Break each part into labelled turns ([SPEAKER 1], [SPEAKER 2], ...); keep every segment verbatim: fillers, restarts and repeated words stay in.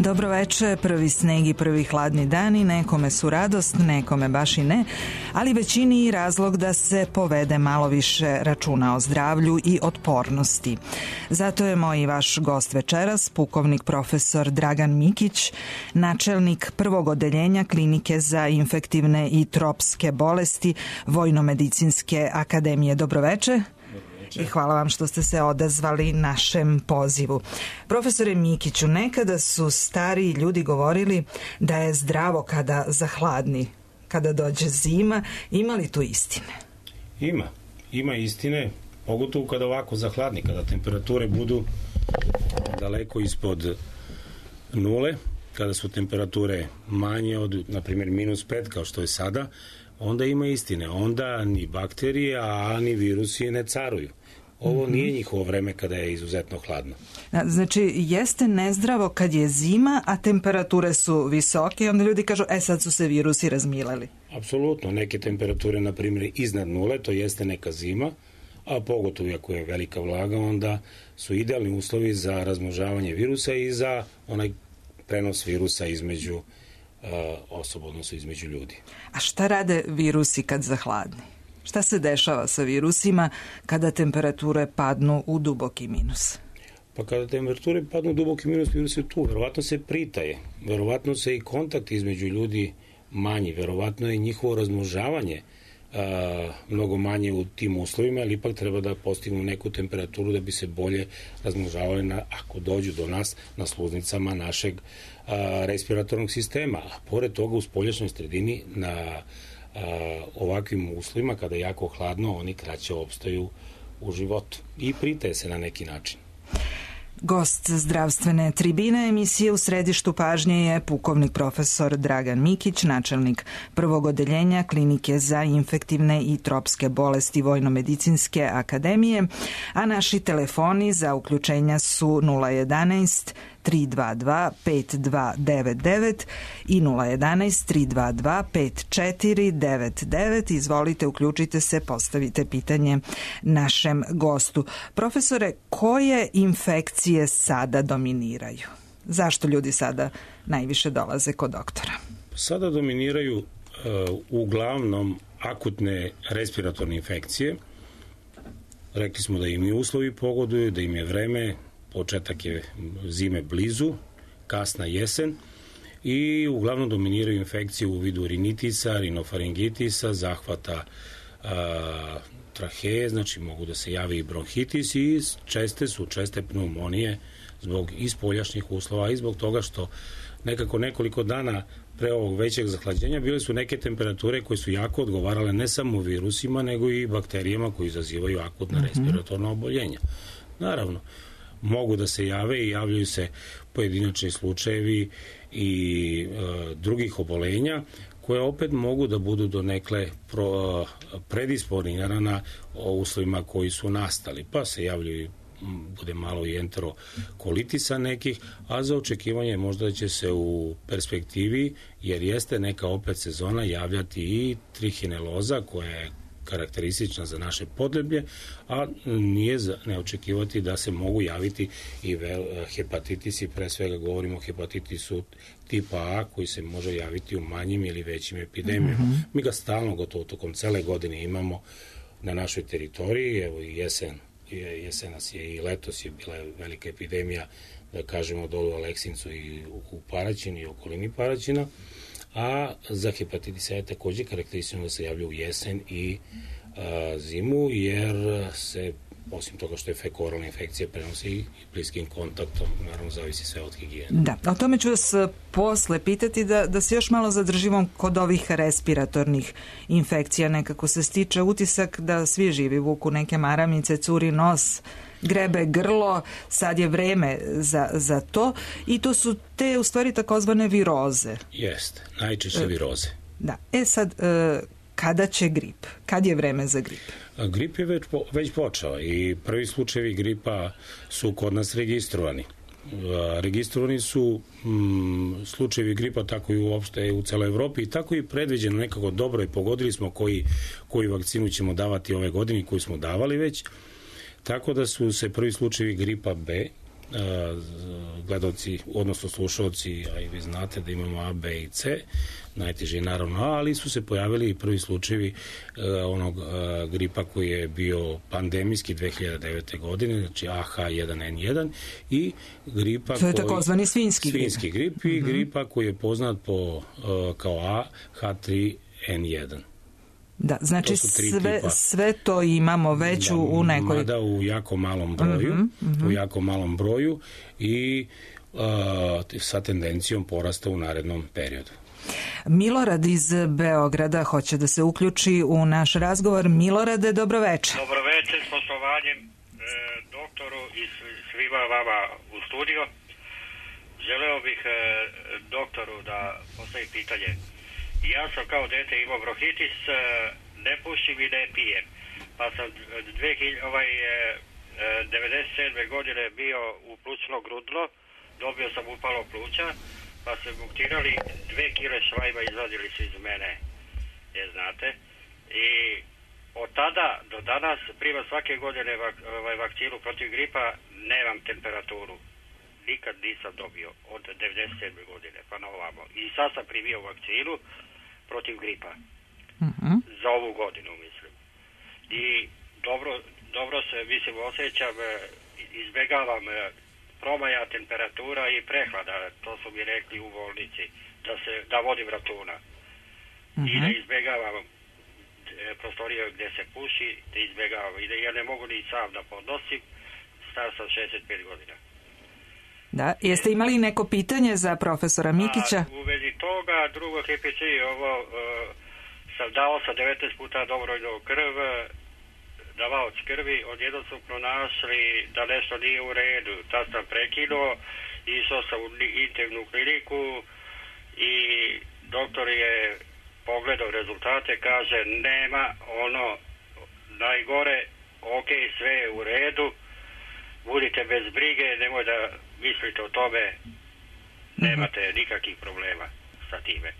[SPEAKER 1] Dobro veče, prvi sneg i prvi hladni dani, nekome su radost, nekome baš i ne, ali većini i razlog da se povede malo više računa o zdravlju i otpornosti. Zato je moj i vaš gost večeras, pukovnik profesor Dragan Mikić, načelnik prvog odeljenja Klinike za infektivne i tropske bolesti Vojnomedicinske akademije. Dobro veče. I hvala vam što ste se odazvali našem pozivu. Profesore Mikiću, nekada su stariji ljudi govorili da je zdravo kada zahladni, kada dođe zima. Ima li tu istine?
[SPEAKER 2] Ima. Ima istine, pogotovo kada ovako zahladni, kada temperature budu daleko ispod nule, kada su temperature manje od, na primjer, minus pet, kao što je sada, onda ima istine. Onda ni bakterije, a ni virusi ne caruju. Ovo mm-hmm. nije njihovo vreme kada je izuzetno hladno.
[SPEAKER 1] Znači, jeste nezdravo kad je zima, a temperature su visoke i onda ljudi kažu, e sad su se virusi razmileli.
[SPEAKER 2] Apsolutno. Neke temperature, na primjer, iznad nule, to jeste neka zima, a pogotovo ako je velika vlaga, onda su idealni uslovi za razmnožavanje virusa i za onaj prenos virusa između uh, osoba, odnosno između ljudi.
[SPEAKER 1] A šta rade virusi kad zahladni? Šta se dešava sa virusima kada temperature padnu u duboki minus?
[SPEAKER 2] Pa kada temperature padnu u duboki minus, virus je tu. Verovatno se pritaje. Verovatno se i kontakt između ljudi manji. Verovatno je njihovo razmnožavanje a, mnogo manje u tim uslovima, ali ipak treba da postignu neku temperaturu da bi se bolje razmnožavali na, ako dođu do nas na sluznicama našeg a, respiratornog sistema. A pored toga u spoljašnjoj sredini na a, ovakvim uslovima, kada je jako hladno, oni kraće opstaju u životu i pritaje se na neki način.
[SPEAKER 1] Gost zdravstvene tribine emisije U središtu pažnje je pukovnik profesor Dragan Mikić, načelnik prvog odeljenja Klinike za infektivne i tropske bolesti Vojnomedicinske akademije, a naši telefoni za uključenja su nula jedanaest tri dva dva pet dva devet devet i nula jedanaest tri dva dva pet četiri devet devet. Izvolite, uključite se, postavite pitanje našem gostu. Profesore, koje infekcije sada dominiraju? Zašto ljudi sada najviše dolaze kod doktora?
[SPEAKER 2] Sada dominiraju uh, uglavnom akutne respiratorne infekcije. Rekli smo da im i uslovi pogoduju, da im je vreme, početak je zime blizu, kasna jesen i uglavnom dominiraju infekcije u vidu rinitisa, rinofaringitisa, zahvata a, traheje, znači mogu da se javi i bronhitis i česte su česte pneumonije zbog ispoljašnjih uslova i zbog toga što nekako nekoliko dana pre ovog većeg zahlađenja bile su neke temperature koje su jako odgovarale ne samo virusima, nego i bakterijama koji izazivaju akutna mm-hmm. respiratorna oboljenja. Naravno, mogu da se jave i javljaju se pojedinačni slučajevi i e, drugih obolenja koje opet mogu da budu donekle pro, predisponirana o uslovima koji su nastali, pa se javljaju bude malo i enterokolitisa nekih, a za očekivanje možda će se u perspektivi, jer jeste neka opet sezona, javljati i trihineloza koja je karakteristična za naše podneblje, a nije za ne očekivati da se mogu javiti i vel, hepatitisi, pre svega govorimo o hepatitisu tipa A koji se može javiti u manjim ili većim epidemijama. Mm-hmm. Mi ga stalno, gotovo tokom cele godine imamo na našoj teritoriji, evo i jesen, jesenas je i letos je bila velika epidemija, da kažemo dolu u Aleksincu i u Paraćinu i okolini Paraćina, a za hepatitis A je takođe karakteristično da se javlja u jesen i a, zimu, jer se, osim toga što je fekoralna infekcija, prenosi i bliskim kontaktom, naravno zavisi sve od higijene.
[SPEAKER 1] Da, o tome ću vas posle pitati, da, da se još malo zadržimo kod ovih respiratornih infekcija. Nekako se stiče utisak da svi živi vuku neke maramice, curi nos, grebe grlo, sad je vreme za, za to i to su te u stvari takozvane viroze.
[SPEAKER 2] Jeste, najčešće viroze.
[SPEAKER 1] Da, e sad, e, kada će grip? Kad je vreme za grip?
[SPEAKER 2] A grip je već, po, već počeo i prvi slučajevi gripa su kod nas registrovani. A, registrovani su mm, slučajevi gripa tako i uopšte u celoj Evropi i tako i predviđeno nekako dobro i pogodili smo koji, koju vakcinu ćemo davati ove godine, koju smo davali već. Tako da su se prvi slučajevi gripa B gledalci, odnosno slušalci, a i vi znate da imamo A, B i C, najteži je naravno A, ali su se pojavili i prvi slučajevi onog gripa koji je bio pandemijski dve hiljade devete. godine, znači A H jedan N jedan i gripa
[SPEAKER 1] to je takozvani svinjski grip.
[SPEAKER 2] Svinjski grip i
[SPEAKER 1] mm-hmm.
[SPEAKER 2] gripa koji je poznat po, kao A H tri N jedan.
[SPEAKER 1] Da, znači sve, sve to imamo već da, u nekoj...
[SPEAKER 2] Mada u jako malom broju, mm-hmm, mm-hmm. u jako malom broju i uh, sa tendencijom porasta u narednom periodu.
[SPEAKER 1] Milorad iz Beograda hoće da se uključi u naš razgovor. Milorade, dobroveče.
[SPEAKER 3] Dobroveče, s poštovanjem e, doktoru i svima vama u studio. Želeo bih e, doktoru da postavim pitanje. Ja sam kao dete imao bronhitis, e, ne pušim i ne pijem. Pa sam dve hiljade, ovaj, e, devedeset sedme. godine bio u plućno grudno, dobio sam upalo pluća, pa se buktirali, dve kile švajba izvadili su iz mene, je znate. I od tada do danas prima svake godine vak, ovaj, vakcinu protiv gripa, nemam temperaturu. Nikad nisam dobio od devedeset sedme. godine pa na ovamo. I sad sam primio vakcinu protiv gripa.
[SPEAKER 1] Mm-hmm.
[SPEAKER 3] Za ovu godinu, mislim. I dobro, dobro se, mislim, osjećam, izbegavam promaja, temperatura i prehlada, to su mi rekli u bolnici, da se da vodim računa. Mm-hmm. I da izbegavam prostorije gdje se puši, da izbegavam. I da ja ne mogu ni sam da podnosim, star sam šezdeset pet godina.
[SPEAKER 1] Da, jeste imali neko pitanje za profesora Mikića?
[SPEAKER 3] A, u vezi toga, drugo H P C, ovo, uh, sam dao sa devetnaest puta dobrovoljno krv, davaoc krvi, odjednom su pronašli da nešto nije u redu. Tad sam prekinuo, išao sam u internu kliniku i doktor je pogledao rezultate, kaže nema ono najgore, ok, sve je u redu, budite bez brige, nemoj da mislite o tome, nemate nikakvih problema sa time.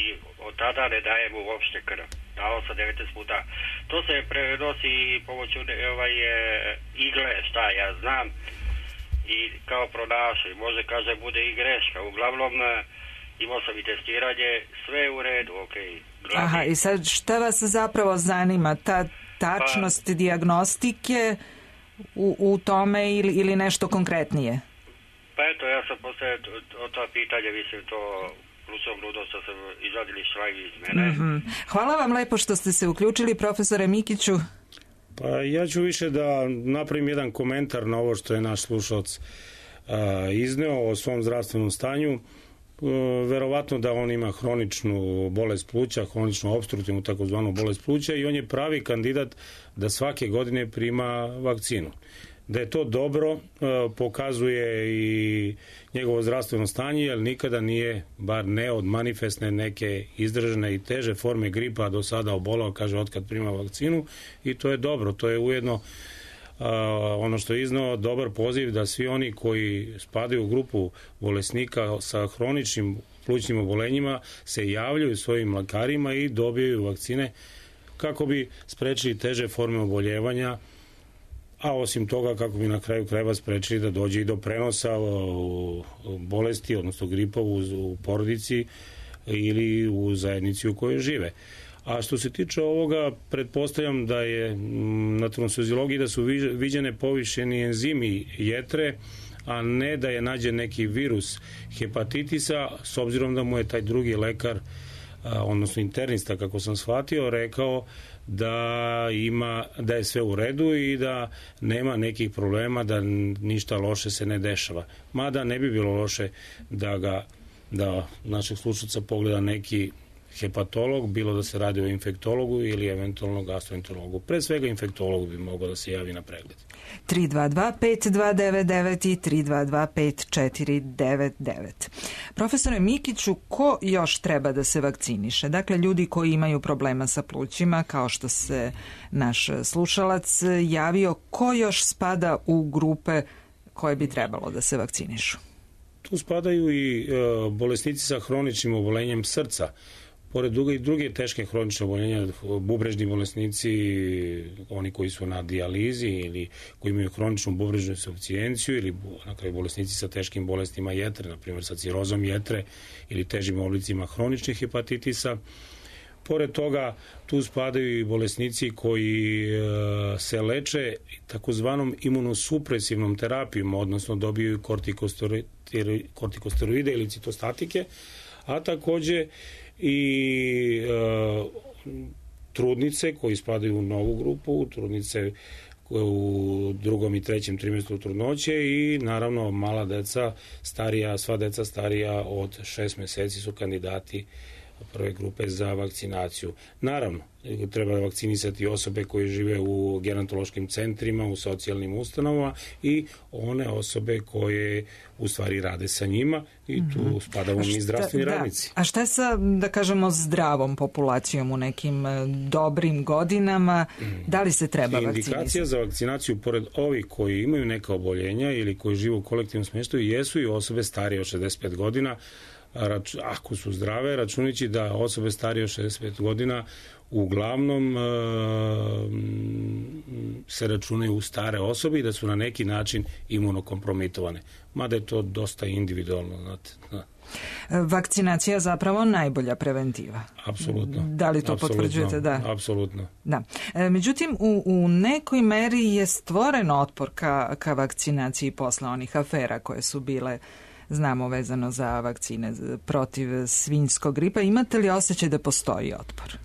[SPEAKER 3] I od tada ne dajemo uopšte krv. Dao sam devetnaest puta. To se prenosi pomoću ovaj, igle, šta ja znam, i kao pronašli. Može, kaže, bude i greška. Uglavnom, imao sam i testiranje, sve je u redu, ok. Glavni.
[SPEAKER 1] Aha, i sad šta vas zapravo zanima? Ta tačnost pa, dijagnostike u, u tome ili, ili nešto konkretnije?
[SPEAKER 3] Pa eto, ja sam postavio o to pitanje, mislim, to... plućnom grudom što sam izvadili švajvi iz mene.
[SPEAKER 1] Mm-hmm. Hvala vam lepo što ste se uključili, profesore Mikiću.
[SPEAKER 2] Pa ja ću više da napravim jedan komentar na ovo što je naš slušalac a, izneo o svom zdravstvenom stanju. A, verovatno da on ima hroničnu bolest pluća, hroničnu opstruktivnu takozvanu bolest pluća i on je pravi kandidat da svake godine prima vakcinu. Da je to dobro, pokazuje i njegovo zdravstveno stanje, jer nikada nije, bar ne od manifestne neke izdržane i teže forme gripa do sada obolao, kaže, otkad prima vakcinu, i to je dobro. To je ujedno ono što je iznao dobar poziv da svi oni koji spadaju u grupu bolesnika sa hroničnim plućnim obolenjima se javljaju svojim lekarima i dobijaju vakcine kako bi sprečili teže forme oboljevanja, a osim toga kako bi na kraju krajeva sprečili da dođe i do prenosa u bolesti, odnosno gripa u, u porodici ili u zajednici u kojoj žive. A što se tiče ovoga, pretpostavljam da je na transfuziologiji da su viđene povišeni enzimi jetre, a ne da je nađen neki virus hepatitisa, s obzirom da mu je taj drugi lekar, odnosno internista, kako sam shvatio, rekao da ima, da je sve u redu i da nema nekih problema, da ništa loše se ne dešava. Mada ne bi bilo loše da ga, da našeg slušalca pogleda neki hepatolog, bilo da se radi o infektologu ili eventualno gastroenterologu. Pre svega infektolog bi mogao da se javi na pregled.
[SPEAKER 1] tri dva dva pet dva devet devet i tri dva dva pet četiri devet devet. Profesore Mikiću, ko još treba da se vakciniše? Dakle, ljudi koji imaju problema sa plućima, kao što se naš slušalac javio, ko još spada u grupe koje bi trebalo da se vakcinišu?
[SPEAKER 2] Tu spadaju i e, bolesnici sa hroničnim obolenjem srca. pored druge i druge teške hronične oboljenja, bubrežni bolesnici, oni koji su na dijalizi ili koji imaju hroničnu bubrežnu insuficijenciju ili na kraju bolesnici sa teškim bolestima jetre, na primjer sa cirozom jetre ili težim oblicima hroničnih hepatitisa. Pored toga, tu spadaju i bolesnici koji e, se leče takozvanom imunosupresivnom terapijom, odnosno dobiju kortikosteroide ili citostatike, a takođe i e, trudnice koji spadaju u novu grupu, trudnice u drugom i trećem trimestru trudnoće i naravno mala deca, starija, sva deca starija od šest meseci su kandidati prve grupe za vakcinaciju. Naravno, treba vakcinisati osobe koje žive u gerontološkim centrima, u socijalnim ustanovama i one osobe koje u stvari rade sa njima i tu mm-hmm. spadamo mi zdravstveni
[SPEAKER 1] da.
[SPEAKER 2] radnici.
[SPEAKER 1] A šta je sa, da kažemo, zdravom populacijom u nekim dobrim godinama? Da li se treba vakcinisati?
[SPEAKER 2] Indikacija za vakcinaciju, pored ovih koji imaju neka oboljenja ili koji žive u kolektivnom smještaju, jesu i osobe starije od šezdeset pet godina, ako su zdrave, računajući da osobe starije od šezdeset pet godina uglavnom se računaju u stare osobe i da su na neki način imunokompromitovane. Mada je to dosta individualno, znate.
[SPEAKER 1] Vakcinacija je zapravo najbolja preventiva.
[SPEAKER 2] Apsolutno.
[SPEAKER 1] Da li to
[SPEAKER 2] Apsolutno.
[SPEAKER 1] potvrđujete? Da.
[SPEAKER 2] Apsolutno.
[SPEAKER 1] Da. Međutim, u, u nekoj meri je stvoren otpor ka, ka vakcinaciji posle onih afera koje su bile, znamo, vezano za vakcine protiv svinjskog gripa. Imate li osjećaj da postoji otpor?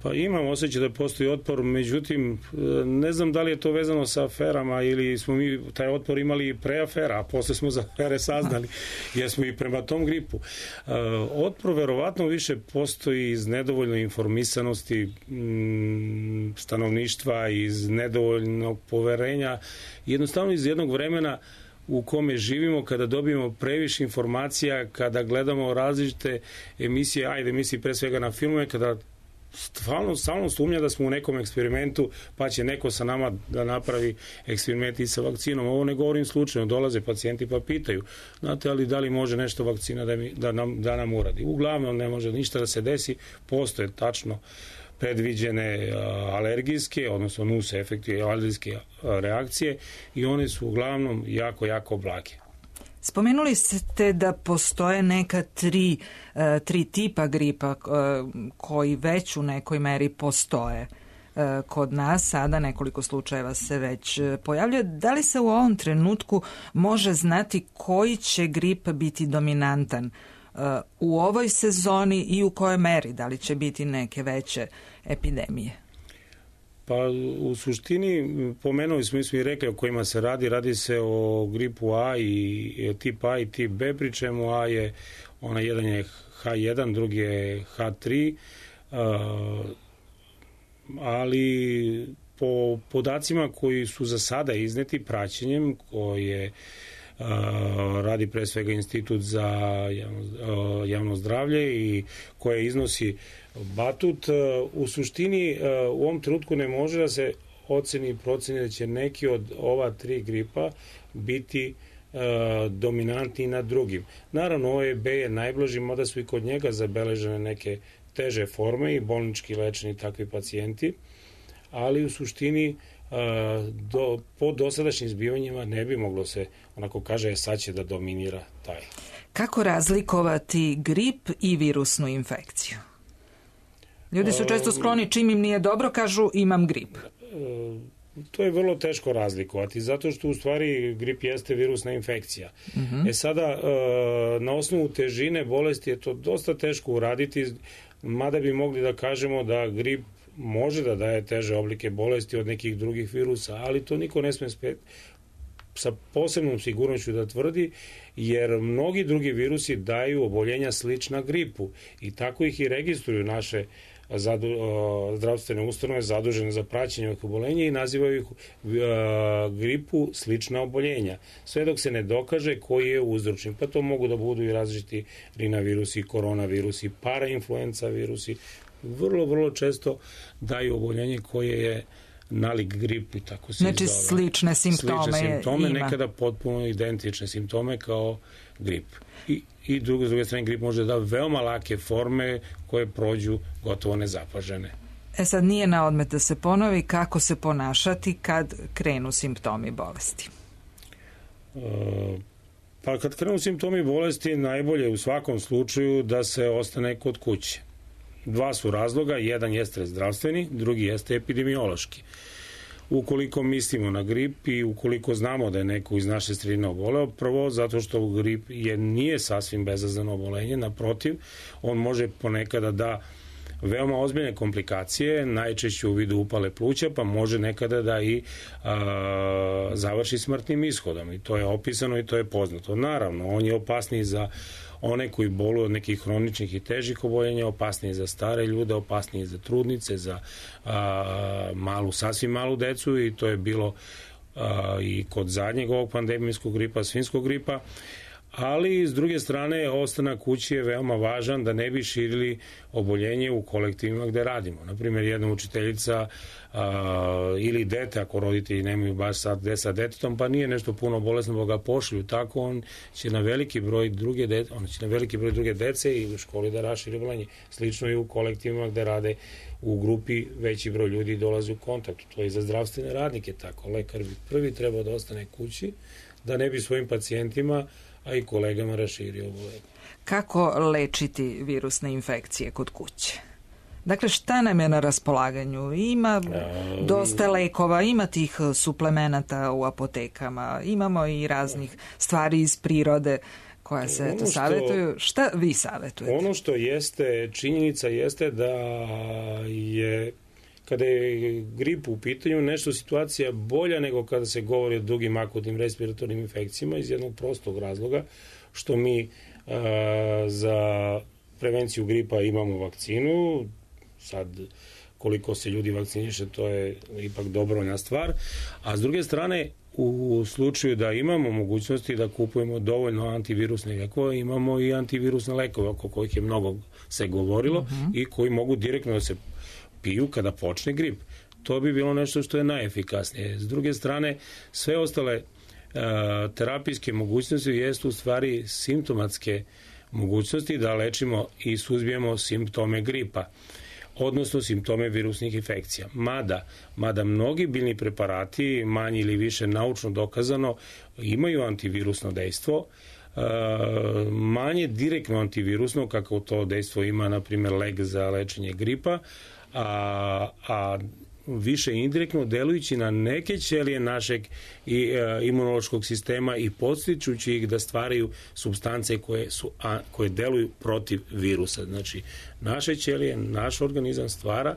[SPEAKER 2] Pa imam osjećaj da postoji otpor, međutim, ne znam da li je to vezano sa aferama ili smo mi taj otpor imali pre afera, a posle smo za afere saznali, jer smo i prema tom gripu. Otpor verovatno više postoji iz nedovoljne informisanosti stanovništva, iz nedovoljnog poverenja, jednostavno iz jednog vremena u kome živimo, kada dobijemo previše informacija, kada gledamo različite emisije, ajde emisije pre svega na filmove, kada stvarno stalno sumnja da smo u nekom eksperimentu, pa će neko sa nama da napravi eksperiment i sa vakcinom. Ovo ne govorim slučajno, dolaze pacijenti pa pitaju, znate, ali da li može nešto vakcina da, mi, da, nam, da nam uradi? Uglavnom ne može ništa da se desi, postoje tačno predviđene alergijske, odnosno nuse efekti alergijske reakcije i one su uglavnom jako, jako blage.
[SPEAKER 1] Spomenuli ste da postoje neka tri, tri tipa gripa koji već u nekoj meri postoje kod nas. Sada nekoliko slučajeva se već pojavljuje. Da li se u ovom trenutku može znati koji će grip biti dominantan u ovoj sezoni i u kojoj meri? Da li će biti neke veće epidemije?
[SPEAKER 2] Pa u suštini pomenuli smo, mi smo i rekli o kojima se radi, radi se o gripu A i tip A i tip B, pri čemu A je, ona jedan je H jedan, drugi je H tri, ali po podacima koji su za sada izneti praćenjem koje radi pre svega Institut za javno, javno zdravlje i koje iznosi Batut, u suštini u ovom trenutku ne može da se oceni i proceni da će neki od ova tri gripa biti dominantni nad drugim. Naravno, ovo je B je najblaži, mada su i kod njega zabeležene neke teže forme i bolnički lečeni takvi pacijenti, ali u suštini do, po dosadašnjim zbivanjima ne bi moglo se, onako kaže, sad će da dominira taj.
[SPEAKER 1] Kako razlikovati grip i virusnu infekciju? Ljudi su često skloni, čim im nije dobro, kažu imam grip.
[SPEAKER 2] To je vrlo teško razlikovati, zato što u stvari grip jeste virusna infekcija. Uh-huh. E sada, na osnovu težine bolesti je to dosta teško uraditi, mada bi mogli da kažemo da grip može da daje teže oblike bolesti od nekih drugih virusa, ali to niko ne sme spet sa posebnom sigurnošću da tvrdi, jer mnogi drugi virusi daju oboljenja slična gripu i tako ih i registruju naše zadu, zdravstvene ustanove zadužene za praćenje ovih oboljenja i nazivaju ih gripu slična oboljenja. Sve dok se ne dokaže koji je uzročnik, pa to mogu da budu i različiti rinavirusi, koronavirusi, parainfluenca virusi, vrlo, vrlo često daju oboljenje koje je nalik grip i tako se
[SPEAKER 1] znači,
[SPEAKER 2] izgleda.
[SPEAKER 1] slične simptome,
[SPEAKER 2] slične simptome
[SPEAKER 1] ima.
[SPEAKER 2] Nekada potpuno identične simptome kao grip. I, i drugo, s druge strane, grip može da veoma lake forme koje prođu gotovo nezapažene.
[SPEAKER 1] E sad, nije na odmet da se ponovi kako se ponašati kad krenu simptomi bolesti.
[SPEAKER 2] E, pa kad krenu simptomi bolesti, najbolje u svakom slučaju da se ostane kod kuće. Dva su razloga, jedan jeste zdravstveni, drugi jeste epidemiološki. Ukoliko mislimo na grip i ukoliko znamo da je neko iz naše sredine oboleo, prvo zato što grip je, nije sasvim bezazleno obolenje, naprotiv, on može ponekada da veoma ozbiljne komplikacije, najčešće u vidu upale pluća, pa može nekada da i a, završi smrtnim ishodom. I to je opisano i to je poznato. Naravno, on je opasniji za one koji boluju od nekih hroničnih i težih oboljenja, opasniji za stare ljude, opasniji za trudnice, za a, malu, sasvim malu decu, i to je bilo a, i kod zadnjeg ovog pandemijskog gripa, svinjskog gripa. Ali, s druge strane, ostanak kući je veoma važan da ne bi širili oboljenje u kolektivima gde radimo. Naprimjer, jedna učiteljica a, ili dete, ako roditelji nemaju baš sad gde sa detetom, pa nije nešto puno bolesno, pa ga pošlju tako, on će na veliki broj druge dece, on će na veliki broj druge dece i u školi da raširi oboljenje. Slično i u kolektivima gde rade u grupi, veći broj ljudi dolazi u kontakt. To je i za zdravstvene radnike tako. Lekar bi prvi trebao da ostane kući, da ne bi svojim pacijentima a i kolegama raširio oboljenje.
[SPEAKER 1] Kako lečiti virusne infekcije kod kuće? Dakle, šta nam je na raspolaganju? Ima dosta lekova, ima tih suplemenata u apotekama, imamo i raznih stvari iz prirode koja se eto, savjetuju. Šta vi savjetujete?
[SPEAKER 2] Ono što jeste, činjenica jeste da je kada je grip u pitanju, nešto situacija bolja nego kada se govori o drugim akutnim respiratornim infekcijama iz jednog prostog razloga, što mi a, za prevenciju gripa imamo vakcinu. Sad, koliko se ljudi vakciniše, to je ipak dobrovoljna stvar. A s druge strane, u slučaju da imamo mogućnosti da kupujemo dovoljno antivirusne lekove, imamo i antivirusne lekove, oko kojih je mnogo se govorilo, uh-huh. i koji mogu direktno da se piju kada počne grip. To bi bilo nešto što je najefikasnije. S druge strane, sve ostale uh, terapijske mogućnosti jesu u stvari simptomatske mogućnosti da lečimo i suzbijemo simptome gripa, odnosno simptome virusnih infekcija. Mada, mada mnogi biljni preparati, manje ili više naučno dokazano, imaju antivirusno dejstvo, Uh, manje direktno antivirusno, kako to dejstvo ima, na primjer, lek za lečenje gripa, a, a više indirektno delujući na neke ćelije našeg i, uh, imunološkog sistema i podstičući ih da stvaraju supstance koje, su, a, koje deluju protiv virusa. Znači, naše ćelije, naš organizam stvara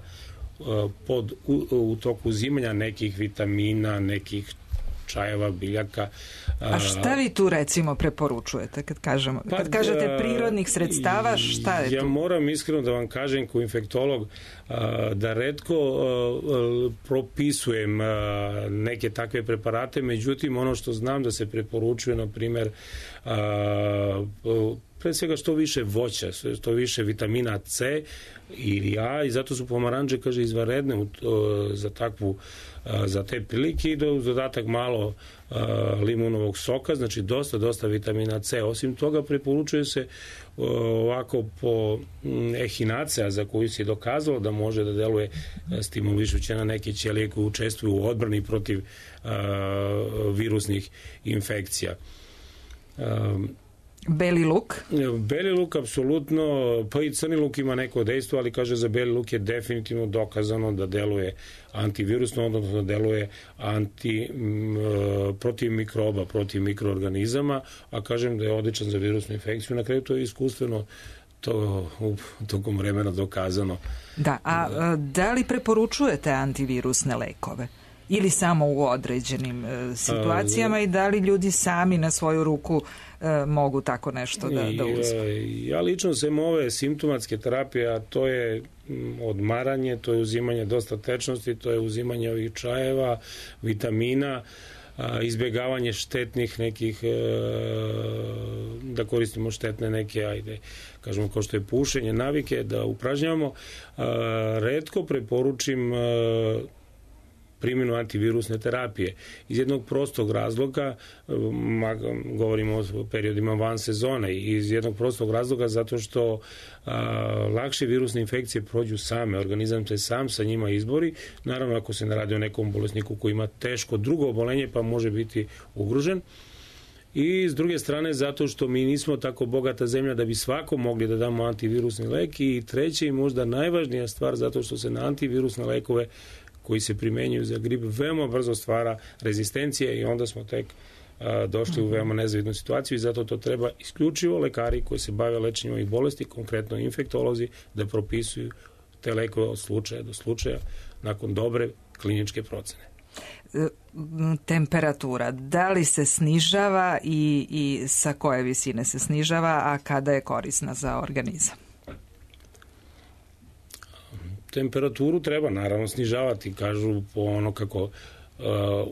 [SPEAKER 2] uh, pod, u, u toku uzimanja nekih vitamina, nekih čajeva, biljaka.
[SPEAKER 1] A šta vi tu recimo preporučujete kad kažemo, pa, kad kažete prirodnih sredstava, šta je
[SPEAKER 2] ja
[SPEAKER 1] tu?
[SPEAKER 2] Ja moram iskreno da vam kažem kao infektolog da retko propisujem neke takve preparate, međutim ono što znam da se preporučuje, na primjer, pre svega što više voća, što više vitamina C ili A, i zato su pomaranče, kaže, izvanredne za takvu, za te prilike, i do dodatak malo limunovog soka, znači dosta, dosta vitamina C. Osim toga, preporučuje se ovako po ehinacea, za koju se je dokazalo da može da deluje stimulišuće na neke ćelije koje učestvuju u odbrani protiv virusnih infekcija.
[SPEAKER 1] Beli luk?
[SPEAKER 2] Beli luk, apsolutno, pa i crni luk ima neko dejstvo, ali kaže za beli luk je definitivno dokazano da deluje antivirusno, odnosno da deluje anti, m, protiv mikroba, protiv mikroorganizama, a kažem da je odličan za virusnu infekciju. Na kraju to je iskustveno to u tokom vremena dokazano.
[SPEAKER 1] Da, a da li preporučujete antivirusne lekove? Ili samo u određenim e, situacijama a, i da li ljudi sami na svoju ruku e, mogu tako nešto da, da uzmu?
[SPEAKER 2] Ja lično sem ove simptomatske terapije, a to je odmaranje, to je uzimanje dosta tečnosti, to je uzimanje ovih čajeva, vitamina, a, izbjegavanje štetnih nekih, e, da koristimo štetne neke, ajde, kažemo, kao što je pušenje, navike, da upražnjavamo. A, retko preporučim a, primjenu antivirusne terapije. Iz jednog prostog razloga, govorimo o periodima van sezone, iz jednog prostog razloga zato što a, lakše virusne infekcije prođu same, organizam se sam sa njima izbori, naravno ako se ne radi o nekom bolesniku koji ima teško drugo obolenje pa može biti ugrožen. I s druge strane zato što mi nismo tako bogata zemlja da bi svako mogli da damo antivirusni lek, i treće i možda najvažnija stvar zato što se na antivirusne lekove koji se primenjuju za grip veoma brzo stvara rezistencija i onda smo tek a, došli u veoma nezavidnu situaciju i zato to treba isključivo lekari koji se bave lečenjem ovih bolesti, konkretno infektolozi, da propisuju te lekove od slučaja do slučaja nakon dobre kliničke procene.
[SPEAKER 1] Temperatura, da li se snižava i, i sa koje visine se snižava, a kada je korisna za organizam?
[SPEAKER 2] Temperaturu treba naravno snižavati, kažu po ono kako uh,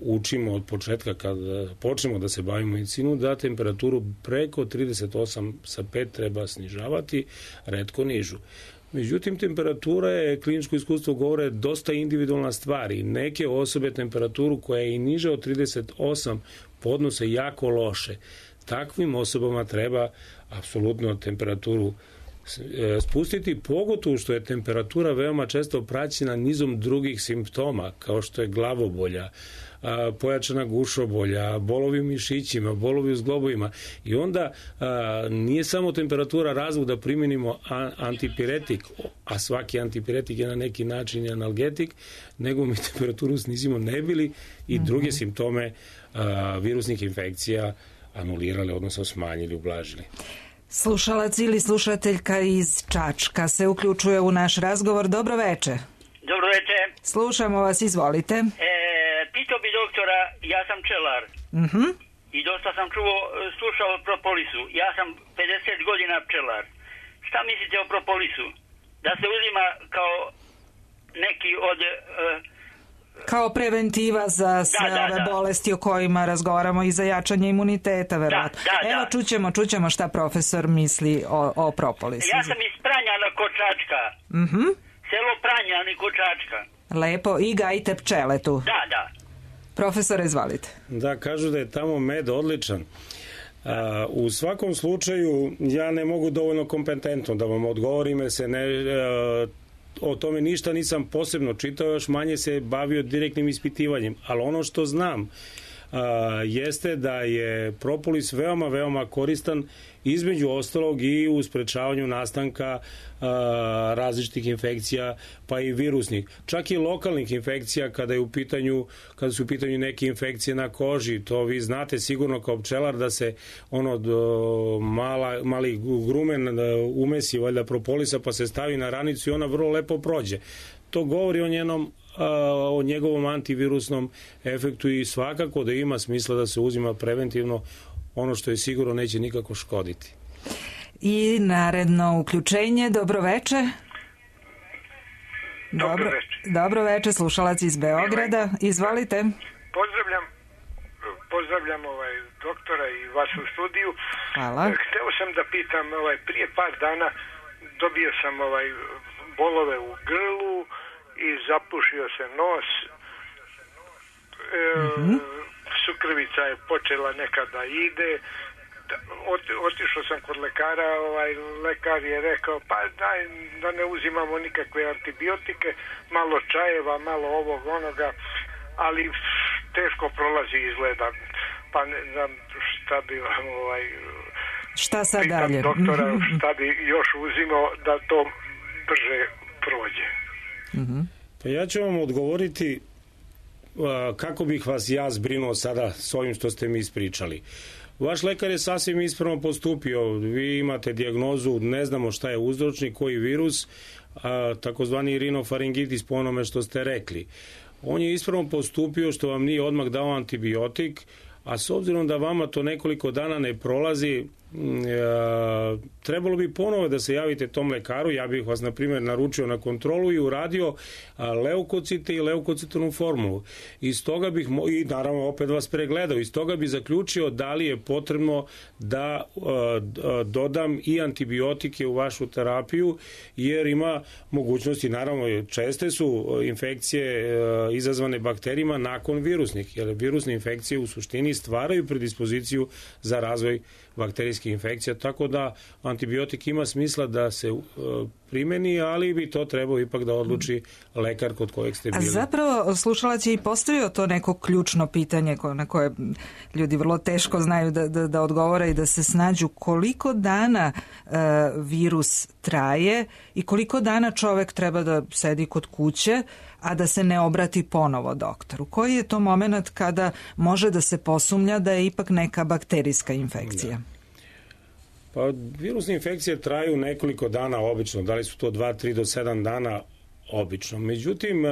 [SPEAKER 2] učimo od početka kad počnemo da se bavimo medicinu, da temperaturu preko trideset osam zarez pet treba snižavati, retko nižu. Međutim, temperatura je, kliničko iskustvo govore, dosta individualna stvar i neke osobe temperaturu koja je i niža od trideset osam podnose jako loše. Takvim osobama treba apsolutno temperaturu spustiti, pogotovo što je temperatura veoma često praćena nizom drugih simptoma, kao što je glavobolja, pojačana gušobolja, bolovi u mišićima, bolovi u zglobovima, i onda a, nije samo temperatura razlog da primenimo antipiretik, a svaki antipiretik je na neki način analgetik, nego mi temperaturu snizimo ne bili i druge simptome a, virusnih infekcija anulirali, odnosno smanjili, ublažili.
[SPEAKER 1] Slušalac ili slušateljka iz Čačka se uključuje u naš razgovor. Dobro veče.
[SPEAKER 4] Dobro veče.
[SPEAKER 1] Slušamo vas, izvolite.
[SPEAKER 4] E, pitao bi doktora, ja sam pčelar.
[SPEAKER 1] Uh-huh.
[SPEAKER 4] I dosta sam čuo, slušao o propolisu. Ja sam pedeset godina pčelar. Šta mislite o propolisu? Da se uzima kao neki od... Uh,
[SPEAKER 1] kao preventiva za sve
[SPEAKER 4] da, da,
[SPEAKER 1] ove
[SPEAKER 4] da.
[SPEAKER 1] bolesti o kojima razgovaramo i za jačanje imuniteta, verovatno.
[SPEAKER 4] Da, da,
[SPEAKER 1] Evo,
[SPEAKER 4] da.
[SPEAKER 1] čućemo, čućemo šta profesor misli o, o propolisu.
[SPEAKER 4] Ja sam iz Pranjana kod Čačka.
[SPEAKER 1] Uh-huh.
[SPEAKER 4] Selo Pranjani kod Čačka.
[SPEAKER 1] Lepo, i gajite pčele tu.
[SPEAKER 4] Da, da.
[SPEAKER 1] Profesore, izvalite.
[SPEAKER 2] Da, kažu da je tamo med odličan. A, u svakom slučaju, ja ne mogu dovoljno kompetentno da vam odgovorim, jer se ne... A, o tome ništa nisam posebno čitao, još manje se bavio direktnim ispitivanjem, ali ono što znam a, jeste da je propolis veoma, veoma koristan, između ostalog i u sprečavanju nastanka a, različitih infekcija, pa i virusnih, čak i lokalnih infekcija kada je u pitanju, kada su u pitanju neke infekcije na koži. To vi znate sigurno kao pčelar da se ono do, mala, mali grumen umesi valjda propolisa pa se stavi na ranicu i ona vrlo lepo prođe. To govori o njenom o njegovom antivirusnom efektu i svakako da ima smisla da se uzima preventivno, ono što je sigurno neće nikako škoditi.
[SPEAKER 1] I naredno uključenje, dobro veče.
[SPEAKER 5] Dobro, dobro veče.
[SPEAKER 1] Dobro veče, slušalac iz Beograda. Izvolite.
[SPEAKER 5] Pozdravljam, pozdravljam ovaj doktora i vas u studiju.
[SPEAKER 1] Hvala.
[SPEAKER 5] Hteo sam da pitam, ovaj, prije par dana dobio sam ovaj bolove u grlu i zapušio se nos. E, mm-hmm. Sukrvica je počela nekada ide. Otišao sam kod lekara, ovaj lekar je rekao pa daj da ne uzimamo nikakve antibiotike, malo čajeva, malo ovog onoga, ali teško prolazi izgleda, pa ne znam šta bi vam ovaj
[SPEAKER 1] šta sad dalje
[SPEAKER 5] doktora, šta bi još uzimao da to brže prođe.
[SPEAKER 1] Mm-hmm.
[SPEAKER 2] Pa ja ću vam odgovoriti kako bih vas ja zbrinuo sada s ovim što ste mi ispričali. Vaš lekar je sasvim ispravno postupio. Vi imate dijagnozu, ne znamo šta je uzročnik, koji virus, a, takozvani rinofaringitis po onome što ste rekli. On je ispravno postupio što vam nije odmah dao antibiotik, a s obzirom da vama to nekoliko dana ne prolazi, trebalo bi ponovo da se javite tom lekaru. Ja bih vas, na primjer, naručio na kontrolu i uradio leukocite i leukocitornu formulu. Iz toga bih, i naravno opet vas pregledao, iz toga bih zaključio da li je potrebno da dodam i antibiotike u vašu terapiju, jer ima mogućnosti, naravno česte su infekcije izazvane bakterijima nakon virusnih, jer virusne infekcije u suštini stvaraju predispoziciju za razvoj bakterijskih infekcija, tako da antibiotik ima smisla da se uh, primeni, ali bi to trebao ipak da odluči lekar kod kojeg ste bili.
[SPEAKER 1] A zapravo slušalac je i postavio to neko ključno pitanje na koje ljudi vrlo teško znaju da, da, da odgovore i da se snađu. Koliko dana uh, virus traje i koliko dana čovek treba da sedi kod kuće, a da se ne obrati ponovo doktoru? Koji je to moment kada može da se posumnja da je ipak neka bakterijska infekcija?
[SPEAKER 2] Da. Pa virusne infekcije traju nekoliko dana obično, da li su to dva, tri do sedam dana obično. Međutim,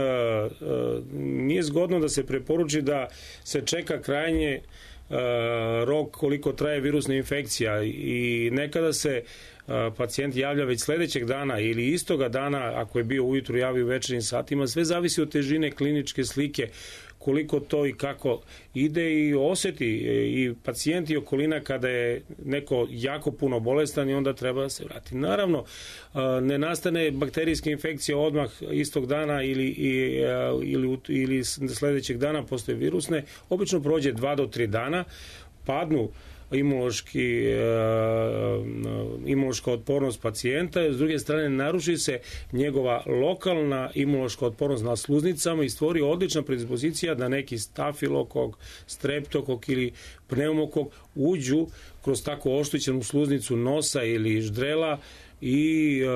[SPEAKER 2] nije zgodno da se preporuči da se čeka krajnje rok koliko traje virusna infekcija i nekada se pacijent javlja već sledećeg dana ili istoga dana, ako je bio ujutru, javi u večernjim satima. Sve zavisi od težine kliničke slike, koliko to i kako ide i oseti i pacijent i okolina kada je neko jako puno bolestan i onda treba da se vrati. Naravno, ne nastane bakterijska infekcija odmah istog dana ili, ili, ili sledećeg dana posle virusne. Obično prođe dva do tri dana, padnu imunološki, imunološka otpornost pacijenta, s druge strane naruši se njegova lokalna imunološka otpornost na sluznicama i stvori odlična predispozicija da neki stafilokok, streptokok ili pneumokok uđu kroz tako oštećenu sluznicu nosa ili ždrela i uh,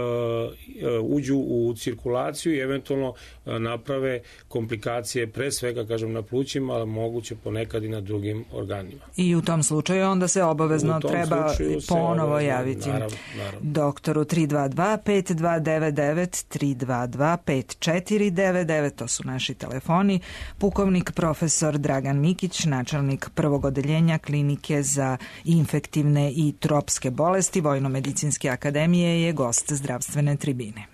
[SPEAKER 2] uđu u cirkulaciju i eventualno uh, naprave komplikacije, pre svega, kažem, na plućima, ali moguće ponekad i na drugim organima.
[SPEAKER 1] I u tom slučaju onda se obavezno treba ponovo obavezno, javiti
[SPEAKER 2] naravno, naravno.
[SPEAKER 1] doktoru. Tri dva dva pet dva devet devet, tri dva dva pet četiri devet devet, to su naši telefoni. Pukovnik profesor Dragan Mikić, načelnik prvog odeljenja Klinike za infektivne i tropske bolesti Vojno-medicinske akademije, je gost zdravstvene tribine.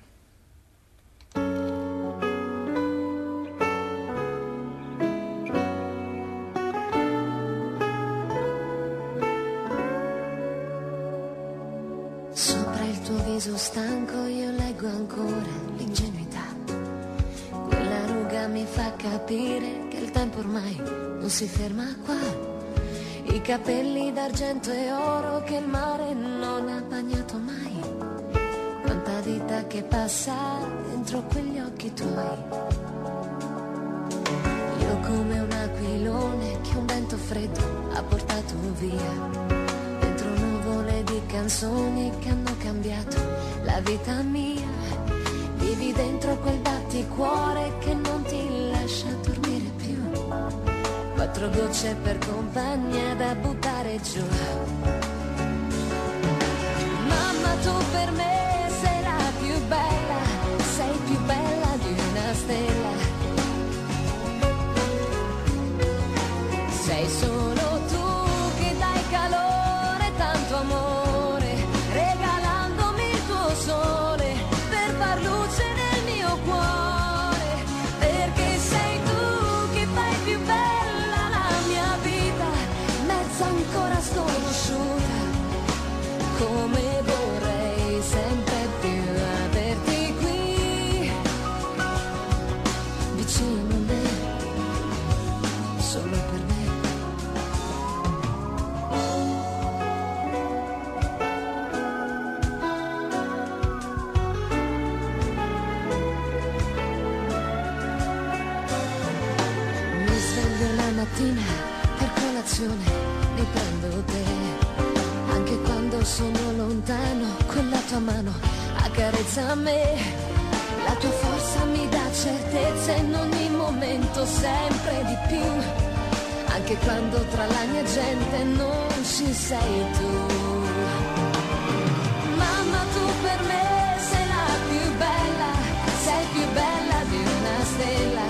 [SPEAKER 6] Sopra il tuo viso stanco io leggo ancora l'ingenuità. Quella ruga mi fa capire che il tempo ormai non si ferma qua. I capelli d'argento e oro che il mare non ha bagnato mai. Quanta vita che passa dentro quegli occhi tuoi. Io come un aquilone che un vento freddo ha portato via. Dentro nuvole di canzoni che hanno cambiato la vita mia. Vivi dentro quel batticuore che non ti lascia dormire più. Quattro gocce per compagnia da buttare giù. Mamma, tu per me bella, sei più bella di una stella. Sei solo tu che dai calore, tanto amore, regalandomi il tuo sole per far luce nel mio cuore. Perché sei tu che fai più bella la mia vita, mezza ancora sconosciuta, come vorrei sempre più averti qui vicino a me, solo per me. Mi sveglio la mattina per colazione, riprendo te, anche quando sono lontano, quella tua mano accarezza me, la tua forza mi dà certezza in ogni momento, sempre di più, anche quando tra la mia gente non ci sei tu. Mamma, tu per me sei la più bella, sei più bella di una stella.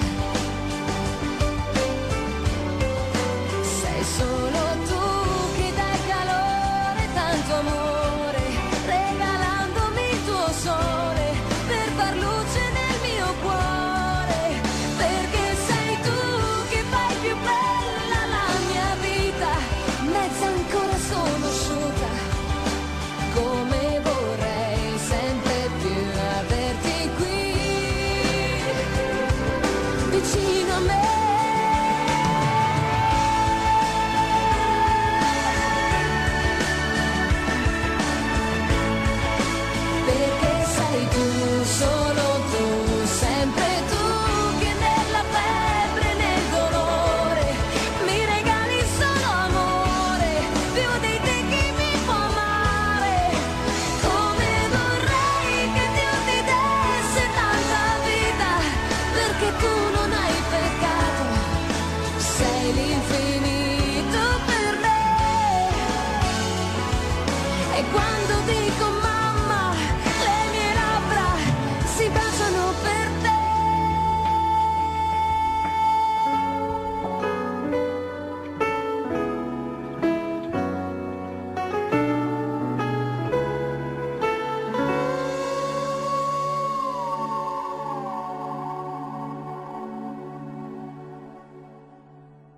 [SPEAKER 6] Sei solo tu che dai calore, tanto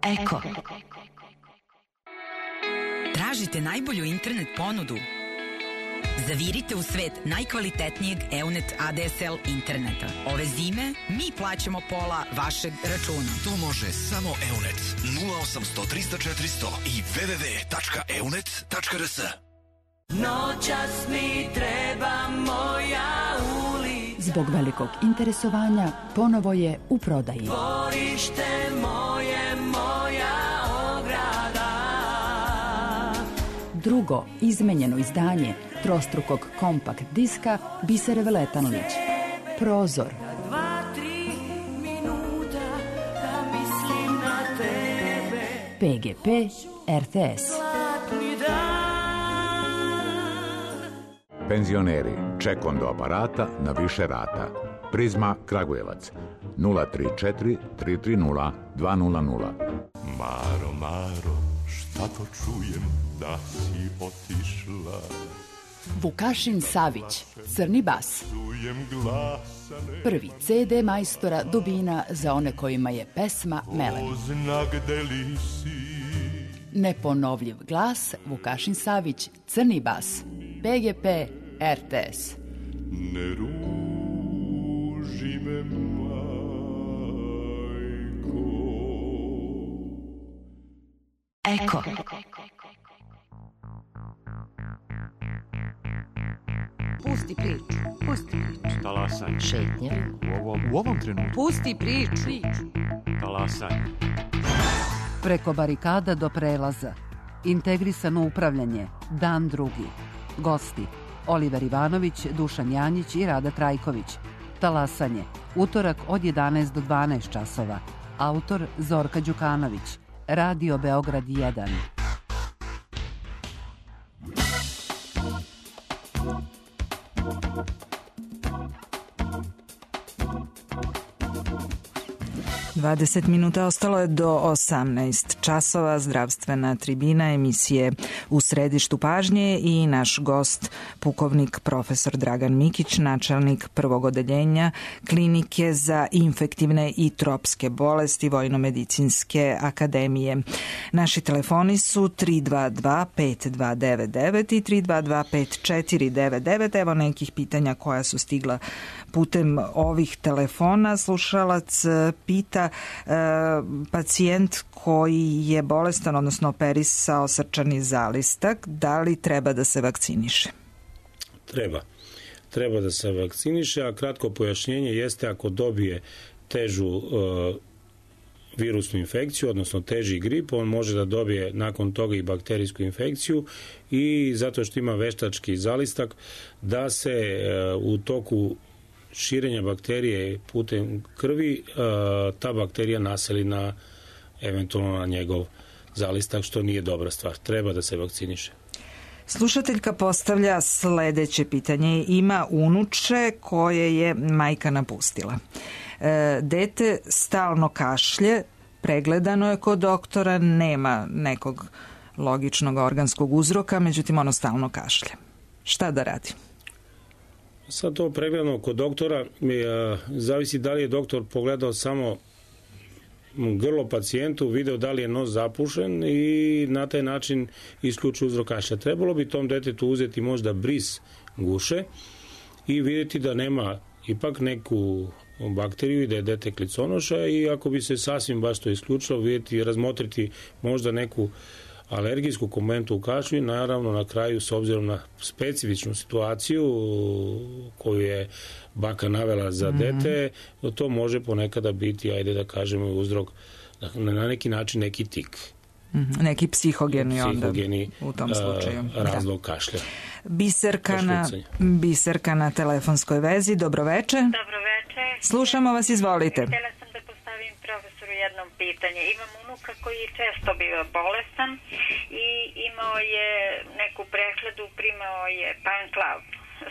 [SPEAKER 7] Eko. Tražite najbolju internet ponudu? Zavirite u svet najkvalitetnijeg Eunet A D S L interneta. Ove zime mi plaćamo pola vašeg računa.
[SPEAKER 8] To može samo Eunet. nula osamsto trista četiristo i w w w tačka eunet tačka r s.
[SPEAKER 6] Noćas mi treba moja ulica.
[SPEAKER 9] Zbog velikog interesovanja ponovo je u prodaji.
[SPEAKER 6] Dvorište moje, moja ograda.
[SPEAKER 9] Drugo izmenjeno izdanje trostrukog kompakt diska Bisere Veletanlić. Prozor.
[SPEAKER 6] Dva, tri minuta da mislim na tebe.
[SPEAKER 9] P G P R T S.
[SPEAKER 6] Zlatni dan.
[SPEAKER 10] Penzioneri, ček do aparata na više rata. Prizma Kragujevac nula tri četiri tri tri nula dva nula nula.
[SPEAKER 11] Maro, Maro, šta to čujem da si otišla?
[SPEAKER 9] Vukašin Savić, Crni bas.
[SPEAKER 11] Čujem glasane.
[SPEAKER 9] Prvi C D majstora Dubina za one kojima je pesma melem.
[SPEAKER 11] Znak gde li si?
[SPEAKER 9] Neponovljiv glas Vukašin Savić, Crni bas. P G P R T S.
[SPEAKER 11] Ne ruži me, majko.
[SPEAKER 7] Eko.
[SPEAKER 12] Pusti priču, pusti priču.
[SPEAKER 13] Talasanje.
[SPEAKER 12] Šetnje.
[SPEAKER 13] U ovom, u ovom trenutku.
[SPEAKER 12] Pusti priču.
[SPEAKER 13] Talasanje.
[SPEAKER 14] Preko barikada do prelaza. Integrisano upravljanje. Dan drugi. Gosti. Oliver Ivanović, Dušan Janjić i Rada Trajković. Talasanje. Utorak od jedanaest do dvanaest časova. Autor Zorka Đukanović. Radio Beograd jedan.
[SPEAKER 1] dvadeset minuta ostalo je do osamnaest časova. Zdravstvena tribina emisije U središtu pažnje i naš gost pukovnik profesor Dragan Mikić, načelnik prvog odeljenja Klinike za infektivne i tropske bolesti Vojnomedicinske akademije. Naši telefoni su tri dva dva pet dva devet devet i tri dva dva pet četiri devet devet. Evo nekih pitanja koja su stigla putem ovih telefona. Slušalac pita, e, pacijent koji je bolestan, odnosno operisao srčani zalistak, da li treba da se vakciniše?
[SPEAKER 2] Treba. Treba da se vakciniše, a kratko pojašnjenje jeste ako dobije težu e, virusnu infekciju, odnosno teži grip, on može da dobije nakon toga i bakterijsku infekciju i zato što ima veštački zalistak da se e, u toku širenja bakterije putem krvi ta bakterija naseli na eventualno na njegov zalistak, što nije dobra stvar. Treba da se vakciniše.
[SPEAKER 1] Slušateljka postavlja sledeće pitanje. Ima unuče koje je majka napustila. E, dete stalno kašlje, pregledano je kod doktora, nema nekog logičnog organskog uzroka, međutim ono stalno kašlje. Šta da radi?
[SPEAKER 2] Sad to pregledano kod doktora je, zavisi da li je doktor pogledao samo grlo pacijentu, video da li je nos zapušen i na taj način isključio uzrok kašlja. Trebalo bi tom detetu uzeti možda bris guše i vidjeti da nema ipak neku bakteriju i da je dete kliconoša i ako bi se sasvim baš to isključilo, vidjeti, razmotriti možda neku alergijsku komponentu u kašlju i naravno na kraju s obzirom na specifičnu situaciju koju je baka navela za mm-hmm. dete, to može ponekada biti, ajde da kažemo, uzrok na neki način neki tik.
[SPEAKER 1] Mm-hmm. Neki psihogeni,
[SPEAKER 2] psihogeni
[SPEAKER 1] onda u tom slučaju.
[SPEAKER 2] A, razlog da. Kašlja.
[SPEAKER 1] Biserka na, Biserka na telefonskoj vezi. Dobroveče.
[SPEAKER 15] Dobroveče.
[SPEAKER 1] Slušamo vas, izvolite.
[SPEAKER 15] Htjela sam da postavim profesoru jedno pitanje. Imam unuka koji često biva bolestan i imao je neku prehladu, primao je Panclav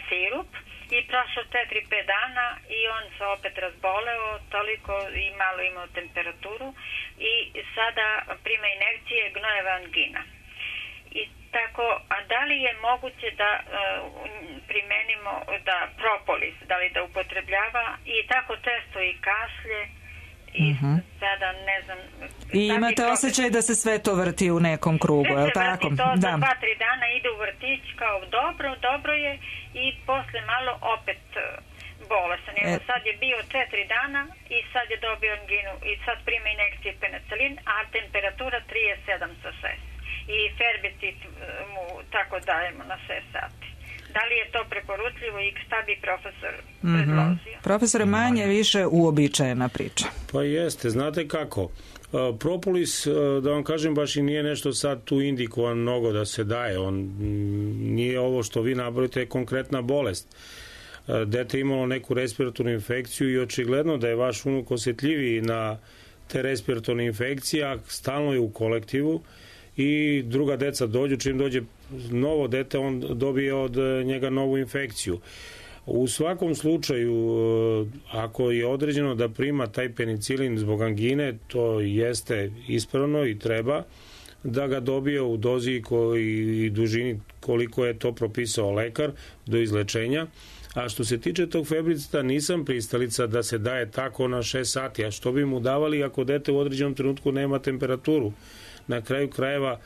[SPEAKER 15] sirup i prošlo četiri pet dana i on se opet razboleo toliko i malo imao temperaturu i sada prima injekcije gnojeva angina. I tako, a da li je moguće da uh, primenimo da propolis, da li da upotrebljava i tako često i kašlje i
[SPEAKER 1] Mhm.
[SPEAKER 15] sada ne znam...
[SPEAKER 1] I imate osjećaj da se sve to vrti u nekom krugu, je li tako?
[SPEAKER 15] Sve se vrti, to
[SPEAKER 1] Da.
[SPEAKER 15] za dva, tri dana ide u vrtić kao dobro, dobro je i posle malo opet e, bolesan. Evo
[SPEAKER 1] E.
[SPEAKER 15] sad je bio četiri dana i sad je dobio anginu i sad prima injekcije penicilin, a temperatura trideset sedam sa šest. I herbicid e, mu tako dajemo na šest sati. Da li je to preporučljivo i šta bi profesor
[SPEAKER 1] Mhm.
[SPEAKER 15] predložio?
[SPEAKER 1] Profesore, manje više uobičajena priča.
[SPEAKER 2] Pa jeste, znate kako? E, Propolis, e, da vam kažem, baš i nije nešto sad tu indikovan mnogo da se daje. On mm, nije ovo što vi nabrojite, je konkretna bolest. E, Dete imalo neku respiratornu infekciju i očigledno da je vaš unuk osjetljiviji na te respiratorne infekcije, a stalno je u kolektivu i druga deca dođu, čim dođe novo dete, on dobije od njega novu infekciju. U svakom slučaju, ako je određeno da prima taj penicilin zbog angine, to jeste ispravno i treba da ga dobije u dozi i dužini koliko je to propisao lekar do izlečenja. A što se tiče tog febricida, nisam pristalica da se daje tako na šest sati. A što bi mu davali ako dete u određenom trenutku nema temperaturu? Na kraju krajeva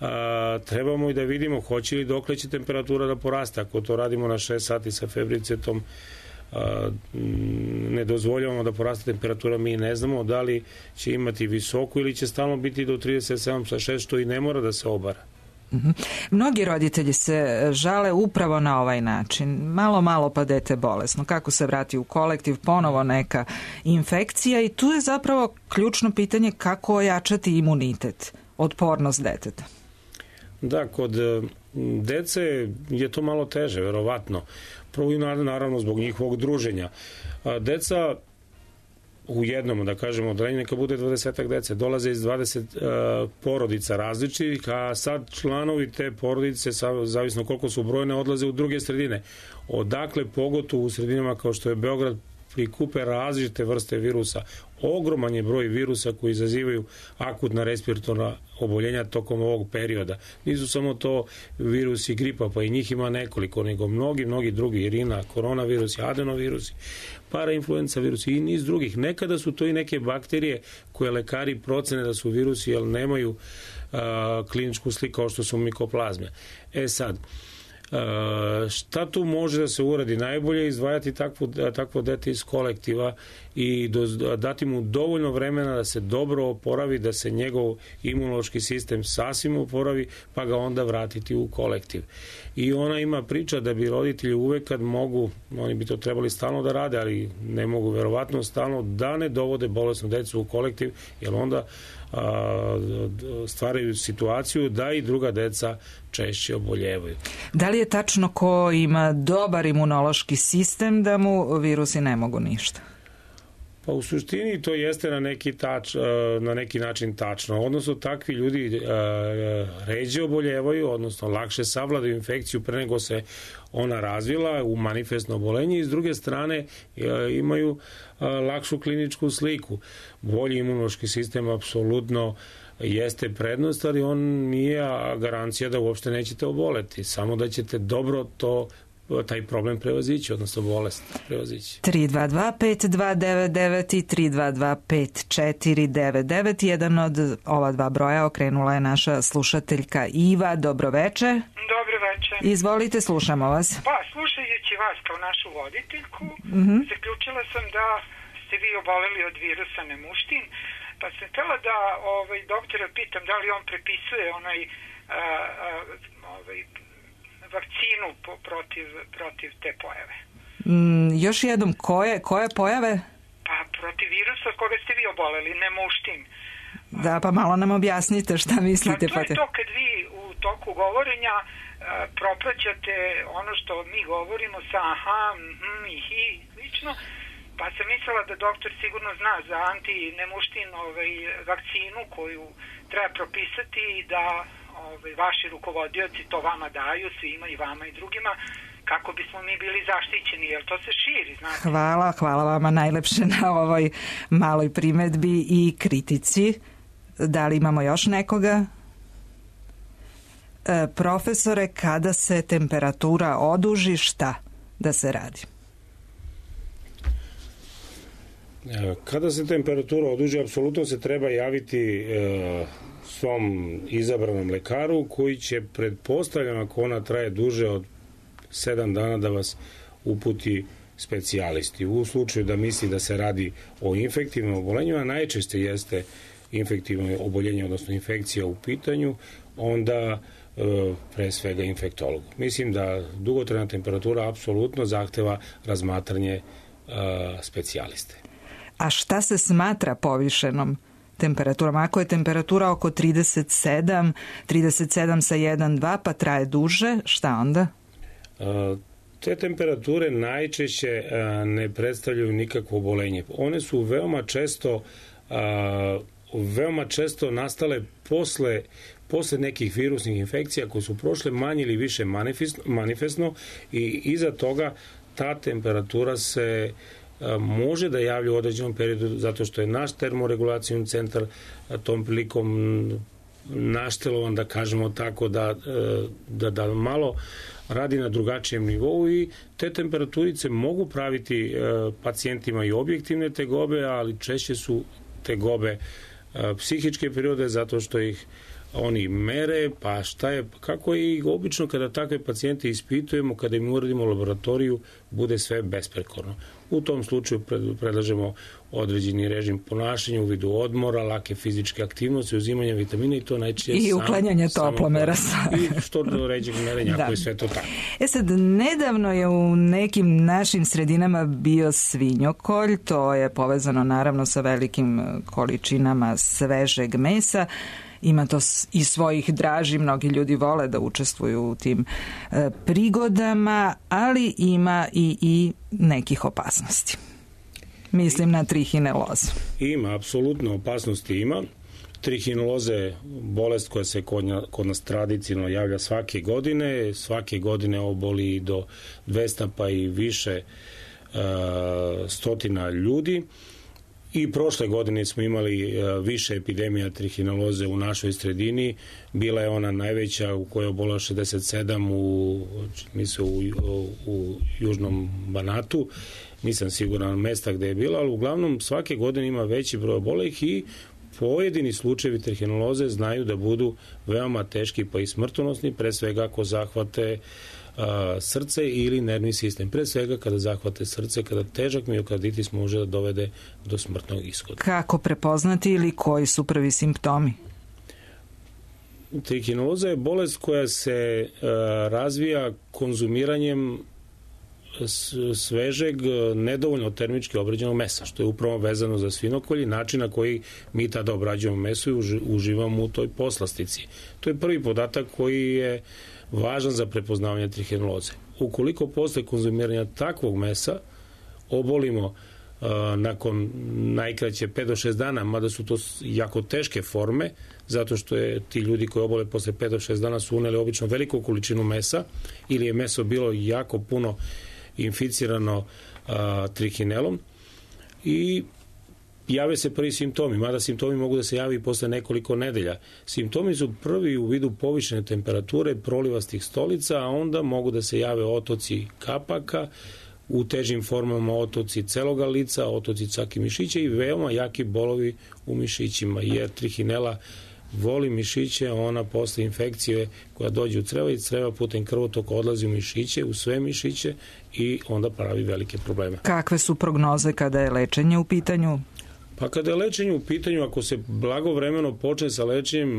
[SPEAKER 2] a, trebamo i da vidimo hoće li dokle će temperatura da poraste. Ako to radimo na šest sati sa febricetom, a, ne dozvoljavamo da poraste temperatura, mi ne znamo da li će imati visoku ili će stalno biti do trideset sedam sa šest, što i ne mora da se obara.
[SPEAKER 1] Mhm. Mnogi roditelji se žale upravo na ovaj način. Malo, malo pa dete bolesno. Kako se vrati u kolektiv, ponovo neka infekcija i tu je zapravo ključno pitanje kako ojačati imunitet, otpornost deteta.
[SPEAKER 2] Da, kod e, dece je to malo teže, verovatno. Prvo i naravno zbog njihovog druženja. A, deca u jednom, da kažemo, odeljenju neka bude dvadesetak dece, dolaze iz dvadeset uh, porodica različitih, a sad članovi te porodice, zavisno koliko su brojne, odlaze u druge sredine. Odakle, pogotovo u sredinama kao što je Beograd, prikupe različite vrste virusa. Ogroman je broj virusa koji izazivaju akutna respiratorna oboljenja tokom ovog perioda. Nisu samo to virusi gripa, pa i njih ima nekoliko, nego mnogi, mnogi drugi, irina, koronavirusi, adenovirusi, parainfluenca virusi i niz drugih. Nekada su to i neke bakterije koje lekari procene da su virusi, jer nemaju a, kliničku sliku kao što su mikoplazme. E sad, Uh, šta tu može da se uradi? Najbolje je izdvajati takvo, takvo dete iz kolektiva i do, dati mu dovoljno vremena da se dobro oporavi, da se njegov imunološki sistem sasvim oporavi, pa ga onda vratiti u kolektiv. I ona ima priča da bi roditelji uvek kad mogu, oni bi to trebali stalno da rade, ali ne mogu verovatno stalno, da ne dovode bolesnu decu u kolektiv, jer onda a, stvaraju situaciju da i druga deca češće oboljevaju.
[SPEAKER 1] Da li je tačno ko ima dobar imunološki sistem da mu virusi ne mogu ništa?
[SPEAKER 2] Pa u suštini to jeste na neki, tač, na neki način tačno. Odnosno takvi ljudi ređe oboljevaju, odnosno lakše savladaju infekciju pre nego se ona razvila u manifestno obolenje i s druge strane imaju lakšu kliničku sliku. Bolji imunološki sistem apsolutno jeste prednost, ali on nije garancija da uopšte nećete oboleti, samo da ćete dobro to taj problem prevazići, odnosno bolest prevazići.
[SPEAKER 1] tri dva dva pet dva devet devet i tri dva dva pet četiri devet devet. Jedan od ova dva broja okrenula je naša slušateljka Iva. Dobroveče.
[SPEAKER 16] Dobro veče.
[SPEAKER 1] Izvolite, slušamo vas.
[SPEAKER 16] Pa, slušajući vas kao našu voditeljku,
[SPEAKER 1] Mhm.
[SPEAKER 16] zaključila sam da ste vi oboleli od virusa nemuštin, pa sam htjela da ovaj, doktora pitam da li on prepisuje onaj a, a, ovaj, vakcinu po, protiv, protiv te pojave.
[SPEAKER 1] Mm, još jednom, koje, koje pojave?
[SPEAKER 16] Pa protiv virusa od koga ste vi oboleli, nemuštin.
[SPEAKER 1] Da, pa malo nam objasnite šta mislite.
[SPEAKER 16] Pa to je to kad vi u toku govorenja a, propraćate ono što mi govorimo sa aha, mhm, i hi, slično, pa sam mislila da doktor sigurno zna za antinemuštin ovaj, vakcinu koju treba propisati i da ovaj, vaši rukovodioci to vama daju, svima i vama i drugima, kako bismo mi bili zaštićeni, jer to se širi, znate.
[SPEAKER 1] Hvala, hvala vama najlepše na ovoj maloj primedbi i kritici. Da li imamo još nekoga? E, profesore, kada se temperatura oduži, šta da se radi?
[SPEAKER 2] Kada se temperatura oduži, apsolutno se treba javiti e, svom izabranom lekaru koji će, pretpostavljam, ako ona traje duže od sedam dana, da vas uputi specijalisti. U slučaju da misli da se radi o infektivnom oboljenju, a najčešće jeste infektivno oboljenje, odnosno infekcija u pitanju, onda e, pre svega infektologu. Mislim da dugotrajna temperatura apsolutno zahteva razmatranje e, specijaliste.
[SPEAKER 1] A šta se smatra povišenom temperaturom? Ako je temperatura oko trideset sedam, trideset sedam sa jedan dva, pa traje duže, šta onda?
[SPEAKER 2] E, te temperature najčešće e, ne predstavljaju nikakvo obolenje. One su veoma često e, veoma često nastale posle, posle nekih virusnih infekcija koje su prošle manje ili više manifestno, manifestno i iza toga ta temperatura se a, može da javlja u određenom periodu zato što je naš termoregulacijni centar a, tom prilikom naštelovan, da kažemo tako, da, da, da malo radi na drugačijem nivou i te temperaturice mogu praviti a, pacijentima i objektivne tegobe, ali češće su tegobe psihičke prirode zato što ih oni mere, pa šta je, kako je i obično kada takve pacijente ispitujemo, kada im uradimo laboratoriju, bude sve besprekorno. U tom slučaju predlažemo određeni režim ponašanja u vidu odmora, lake fizičke aktivnosti, uzimanja vitamina i to najčešće
[SPEAKER 1] i uklanjanje toplomera.
[SPEAKER 2] I što do ređeg merenja, ako je sve to tako.
[SPEAKER 1] E sad, nedavno je u nekim našim sredinama bio svinjokolj, to je povezano naravno sa velikim količinama svežeg mesa. Ima to i svojih draži, mnogi ljudi vole da učestvuju u tim e, prigodama, ali ima i, i nekih opasnosti. Mislim na trihinelozu.
[SPEAKER 2] Ima, apsolutno opasnosti ima. Trihineloza je bolest koja se kod, kod nas tradicionalno javlja svake godine. Svake godine oboli do dvesta pa i više e, stotina ljudi. I prošle godine smo imali više epidemija trihineloze u našoj sredini. Bila je ona najveća u kojoj je obolelo šezdeset sedam u, mislim, u, u južnom Banatu. Nisam siguran mesta gde je bila, ali uglavnom svake godine ima veći broj obolelih i pojedini slučajevi trihineloze znaju da budu veoma teški pa i smrtonosni, pre svega ako zahvate srce ili nervni sistem. Pre svega kada zahvate srce, kada težak miokarditis može da dovede do smrtnog ishoda.
[SPEAKER 1] Kako prepoznati ili koji su prvi simptomi?
[SPEAKER 2] Trihineloza je bolest koja se uh, razvija konzumiranjem svežeg, nedovoljno termički obrađenog mesa, što je upravo vezano za svinokolj i način na koji mi tada obrađujemo meso i uživamo u toj poslastici. To je prvi podatak koji je važan za prepoznavanje trihineloze. Ukoliko posle konzumiranja takvog mesa obolimo uh, nakon najkraće pet do šest dana, mada su to jako teške forme, zato što je ti ljudi koji obole posle pet do šest dana su uneli obično veliku količinu mesa ili je meso bilo jako puno inficirano uh, trihinelom i jave se prvi simptomi, mada simptomi mogu da se javi i posle nekoliko nedelja. Simptomi su prvi u vidu povišene temperature, prolivastih stolica, a onda mogu da se jave otoci kapaka, u težim formama otoci celoga lica, otoci čak i mišića i veoma jaki bolovi u mišićima, jer trihinela voli mišiće, ona posle infekcije koja dođe u creva i creva putem krvotoka odlazi u mišiće, u sve mišiće i onda pravi velike probleme.
[SPEAKER 1] Kakve su prognoze kada je lečenje u pitanju?
[SPEAKER 2] Pa kada je lečenje u pitanju, ako se blagovremeno počne sa lečenjem,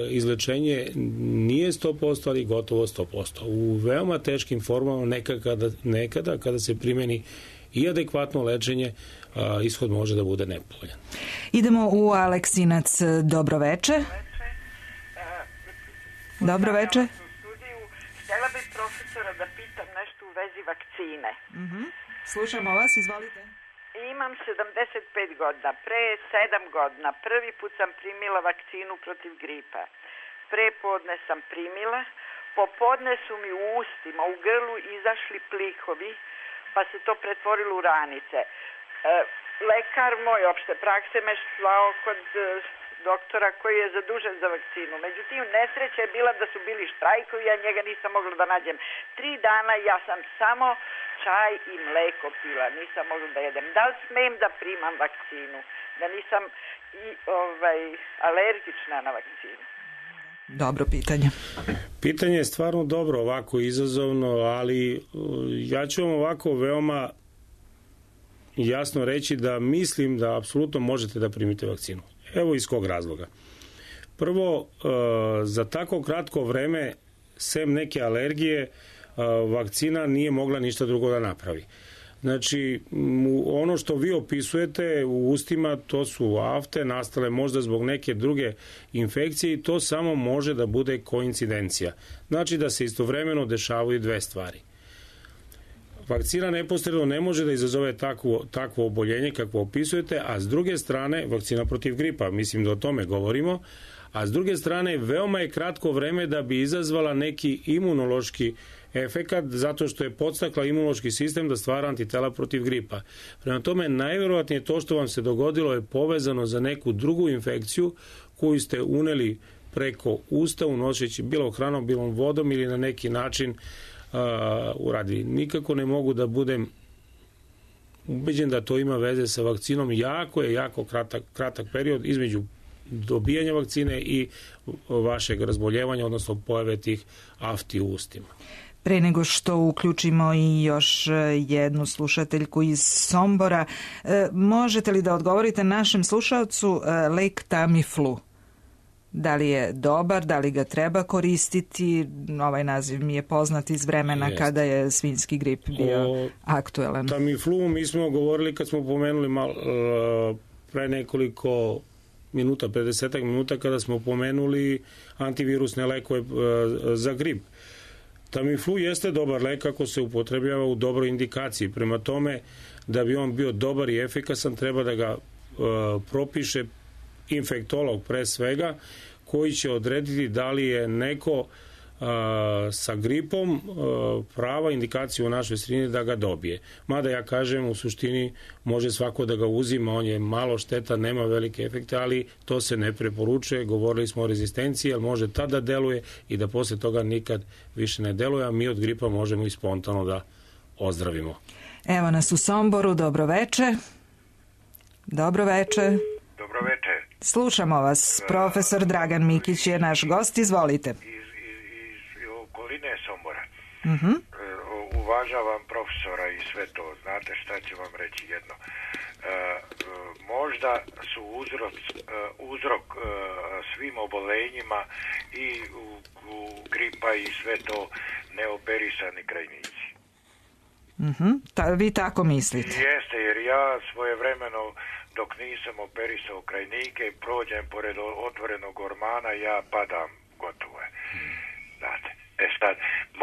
[SPEAKER 2] izlečenje nije sto posto, ali gotovo sto posto. U veoma teškim formama nekada, nekada kada se primeni i adekvatno lečenje, ishod može da bude nepovoljan.
[SPEAKER 1] Idemo u Aleksinac. Dobro veče. Dobro veče.
[SPEAKER 17] Htjela bih profesora da pitam nešto u vezi vakcine.
[SPEAKER 1] Uh-huh. Slušamo vas, izvolite.
[SPEAKER 17] Imam sedamdeset pet godina. Pre sedam godina prvi put sam primila vakcinu protiv gripa. Prepodne sam primila, popodne su mi u ustima, u grlu izašli plihovi, pa se to pretvorilo u ranice. E, lekar moj opšte prakse me slao kod e, doktora koji je zadužen za vakcinu. Međutim, nesreća je bila da su bili štrajkovi, ja njega nisam mogla da nađem. Tri dana ja sam samo čaj i mleko pila, nisam mogla da jedem. Da li smem da primam vakcinu? Da nisam i, ovaj, alergična na vakcinu?
[SPEAKER 1] Dobro pitanje.
[SPEAKER 2] Pitanje je stvarno dobro, ovako izazovno, ali ja ću vam ovako veoma jasno reći da mislim da apsolutno možete da primite vakcinu. Evo iz kog razloga. Prvo, za tako kratko vreme, sem neke alergije, vakcina nije mogla ništa drugo da napravi. Znači, ono što vi opisujete u ustima, to su afte nastale možda zbog neke druge infekcije i to samo može da bude koincidencija. Znači da se istovremeno dešavaju dve stvari. Vakcina neposredno ne može da izazove takvo, takvo oboljenje kakvo opisujete, a s druge strane, vakcina protiv gripa, mislim da o tome govorimo, a s druge strane, veoma je kratko vreme da bi izazvala neki imunološki efekat, zato što je podstakla imunološki sistem da stvara antitela protiv gripa. Prema tome, najverovatnije to što vam se dogodilo je povezano za neku drugu infekciju koju ste uneli preko usta, unošeći bilo hranom, bilo vodom ili na neki način uh, uradi. Nikako ne mogu da budem ubeđen da to ima veze sa vakcinom. Jako je, jako kratak, kratak period između dobijanja vakcine i vašeg razboljevanja, odnosno pojave tih afti u ustima.
[SPEAKER 1] Pre nego što uključimo i još jednu slušateljku iz Sombora, možete li da odgovorite našem slušalcu lek Tamiflu? Da li je dobar, da li ga treba koristiti? Ovaj naziv mi je poznat iz vremena Jest. kada je svinjski grip bio o aktuelan.
[SPEAKER 2] Tamiflu mi smo govorili kad smo pomenuli malo, pre nekoliko minuta, pedesetak minuta, kada smo pomenuli antivirusne lekove za grip. Tamiflu jeste dobar lek ako se upotrebljava u dobroj indikaciji. Prema tome, da bi on bio dobar i efikasan, treba da ga uh, propiše infektolog pre svega, koji će odrediti da li je neko uh, sa gripom uh, prava indikacija u našoj sredini da ga dobije. Mada ja kažem, u suštini može svako da ga uzima, on je malo šteta, nema velike efekte, ali to se ne preporučuje. Govorili smo o rezistenciji, ali može tada deluje i da posle toga nikad više ne deluje, a mi od gripa možemo i spontano da ozdravimo.
[SPEAKER 1] Evo nas u Somboru, dobro veče. Dobro veče.
[SPEAKER 18] Dobro veče.
[SPEAKER 1] Slušamo vas. Profesor Dragan Mikić je naš gost, izvolite.
[SPEAKER 18] Iz, iz, iz okoline Sombora.
[SPEAKER 1] Uh-huh.
[SPEAKER 18] Uvažavam profesora i sve to. Znate šta ću vam reći jedno. E, možda su uzrok, uzrok e, svim obolenjima i u, u gripa i sve to neoperisani krajnici.
[SPEAKER 1] Uh-huh. Ta, vi tako mislite?
[SPEAKER 18] Jeste, jer ja svojevremeno dok nisam operisao krajnike, prođem pored otvorenog ormana, ja padam, gotovo je. Znate, e sad,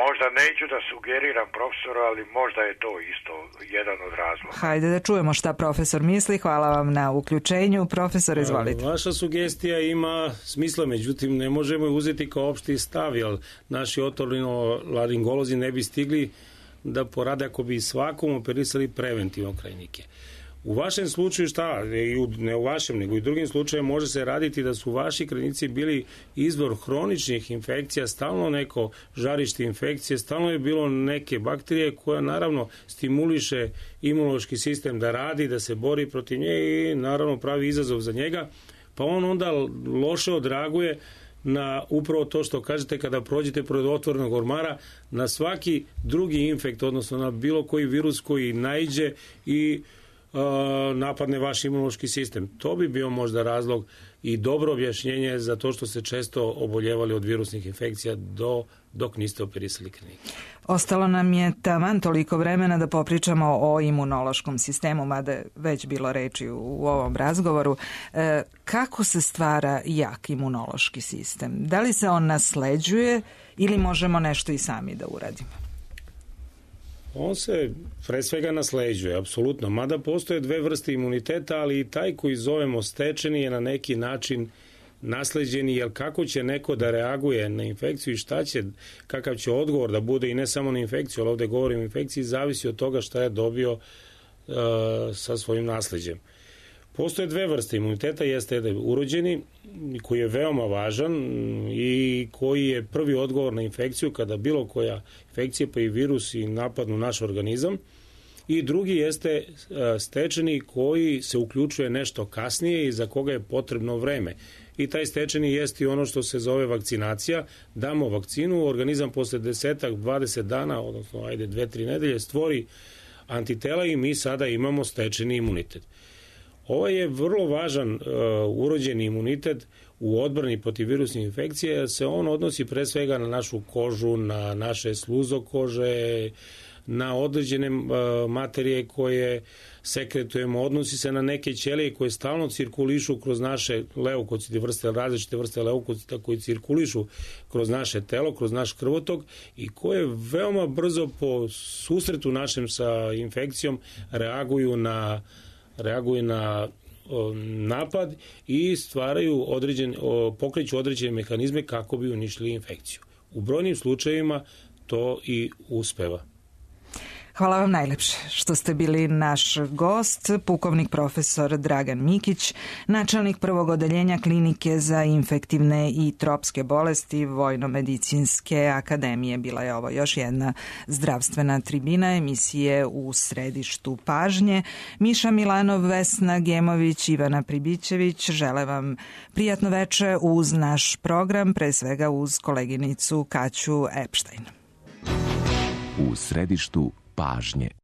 [SPEAKER 18] možda neću da sugeriram profesoru, ali možda je to isto jedan od razloga.
[SPEAKER 1] Hajde da čujemo šta profesor misli, hvala vam na uključenju. Profesor, izvolite.
[SPEAKER 2] Vaša sugestija ima smisla, međutim ne možemo je uzeti kao opšti stav, jer naši otorinolaringolozi ne bi stigli da porade ako bi svakom operisali preventivno krajnike. U vašem slučaju šta, ne u vašem, nego i drugim slučajem može se raditi da su vaši krajnici bili izvor hroničnih infekcija, stalno neko žarište infekcije, stalno je bilo neke bakterije koja naravno stimuliše imunološki sistem da radi, da se bori protiv nje i naravno pravi izazov za njega, pa on onda loše odreaguje na upravo to što kažete kada prođete pored otvorenog ormara, na svaki drugi infekt, odnosno na bilo koji virus koji naiđe i napadne vaš imunološki sistem. To bi bio možda razlog i dobro objašnjenje za to što ste često oboljevali od virusnih infekcija do, dok niste operisali krajnike.
[SPEAKER 1] Ostalo nam je taman toliko vremena da popričamo o imunološkom sistemu, mada je već bilo reči u, u ovom razgovoru. E, kako se stvara jak imunološki sistem? Da li se on nasleđuje ili možemo nešto i sami da uradimo?
[SPEAKER 2] On se pre svega nasleđuje, apsolutno. Mada postoje dve vrste imuniteta, ali i taj koji zovemo stečeni je na neki način nasleđeni, jer kako će neko da reaguje na infekciju i šta će, kakav će odgovor da bude i ne samo na infekciju, ali ovde govorim o infekciji, zavisi od toga šta je dobio uh, sa svojim nasleđem. Postoje dve vrste imuniteta, jeste jedan urođeni koji je veoma važan i koji je prvi odgovor na infekciju kada bilo koja infekcija pa i virus i napadnu naš organizam, i drugi jeste stečeni koji se uključuje nešto kasnije i za koga je potrebno vreme. I taj stečeni jeste i ono što se zove vakcinacija. Damo vakcinu, organizam posle desetak, dvadeset dana, odnosno ajde dve, tri nedelje, stvori antitela i mi sada imamo stečeni imunitet. Ovo je vrlo važan uh, urođeni imunitet u odbrani protiv virusnih infekcija, jer se on odnosi pre svega na našu kožu, na naše sluzokože, na određene uh, materije koje sekretujemo, odnosi se na neke ćelije koje stalno cirkulišu kroz naše leukocite, vrste, različite vrste leukocita koji cirkulišu kroz naše telo, kroz naš krvotok i koje veoma brzo po susretu našem sa infekcijom reaguju na reaguju na o, napad i stvaraju određen, o, pokreću određene mehanizme kako bi uništili infekciju. U brojnim slučajevima to i uspeva.
[SPEAKER 1] Hvala vam najlepše što ste bili naš gost, pukovnik profesor Dragan Mikić, načelnik prvog odeljenja Klinike za infektivne i tropske bolesti Vojno-medicinske akademije. Bila je ovo još jedna zdravstvena tribina emisije U središtu pažnje. Miša Milanov, Vesna Gemović, Ivana Pribićević žele vam prijatno veče uz naš program, pre svega uz koleginicu Kaću Epštajn.
[SPEAKER 19] U središtu pažnje.